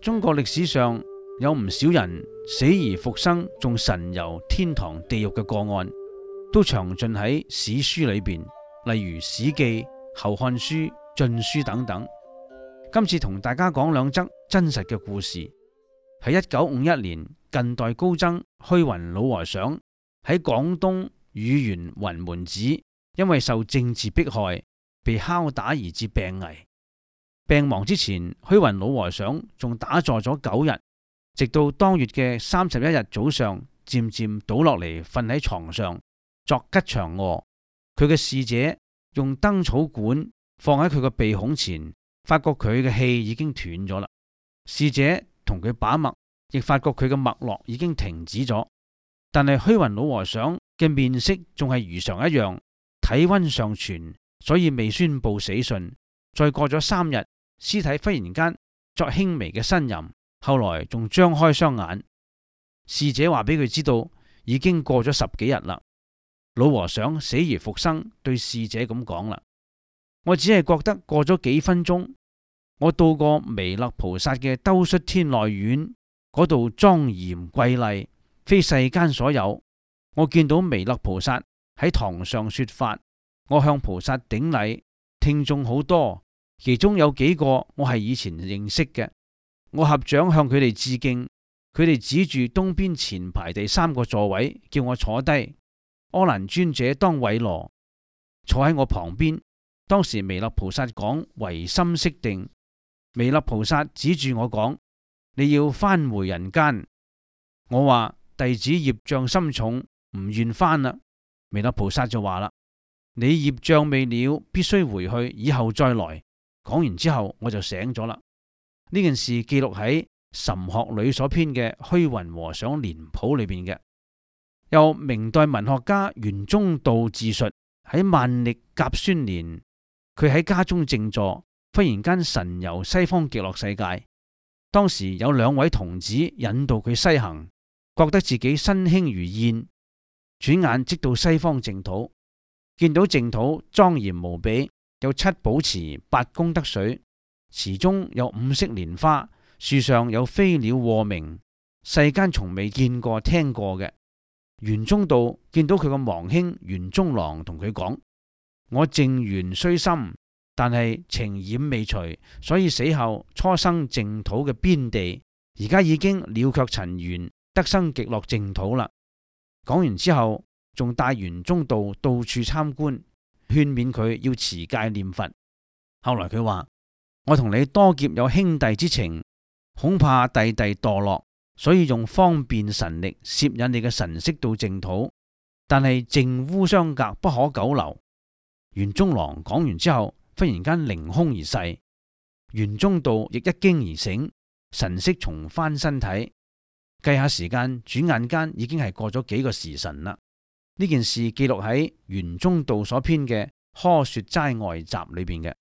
中國歷史上有唔少人死而復生，仲神遊天堂地獄嘅個案，都詳盡喺史書裏邊，例如《史記》、《後漢書》、《晉書》等等。今次同大家講兩則真實嘅故事。喺1951年，近代高僧虛雲老和尚喺廣東乳源雲門寺，因為受政治迫害，被拷打而致病危。病亡之前，虛雲老和尚仲打坐咗9日，直到當月嘅31日早上，漸漸倒落嚟瞓喺床上作吉祥臥。佢嘅侍者用燈草管放喺佢個鼻孔前，發覺佢嘅氣已經斷咗啦。侍者同佢把脈，亦發覺佢嘅脈絡已經停止咗。但係虛雲老和尚嘅面色仲係如常一樣，體溫尚存，所以未宣布死訊。再過咗3日，屍體忽然間作輕微嘅呻吟，後來仲張開雙眼。侍者話俾佢知道，已經過咗10幾日啦。老和尚死而復生，對侍者咁講啦：我只係覺得過咗幾分鐘，我到過彌勒菩薩嘅兜率天內院，嗰度莊嚴瑰麗，非世間所有。我見到彌勒菩薩喺堂上說法，我向菩薩頂禮，聽眾好多，其中有幾個我係以前認識嘅，我合掌向佢哋致敬，佢哋指住東邊前排第3個座位，叫我坐低。阿難尊者當韋羅坐喺我旁邊。當時彌勒菩薩講唯心識定，彌勒菩薩指住我講：你要返回人間。我話弟子業障深重，唔願返啦。彌勒菩薩就話啦：你業障未了，必須回去，以後再來。講完之後我就醒咗啦。呢件事記錄喺《岑學呂》所編嘅虛雲和尚年譜裏邊嘅。由明代文學家袁中道自述，喺萬曆甲戌年，佢喺家中靜坐，忽然間神遊西方極樂世界。當時有2位童子引導佢西行，覺得自己身輕如燕，轉眼即到西方淨土。見到淨土莊嚴無比，有7寶池、8功德水，池中有5色蓮花，樹上有飛鳥和鳴，世間從未見過聽過嘅。袁中道見到佢個亡兄袁中郎同佢講：我淨緣雖深，但係情染未除，所以死後初生淨土嘅邊地，而家已經了卻塵緣，得生極樂淨土啦。講完之後，仲帶袁中道到處參觀，勸勉佢要持戒念佛。後來佢話：我同你多劫有兄弟之情，恐怕弟弟墮落，所以用方便神力攝引你嘅神識到淨土，但係淨污相隔，不可久留。袁中郎講完之後，忽然間凌空而逝。袁中道亦一驚而醒，神識重返身體。計下時間，轉眼間已經係過咗幾個時辰啦。呢件事記錄喺袁中道所編嘅《柯說齋外集》裏邊嘅。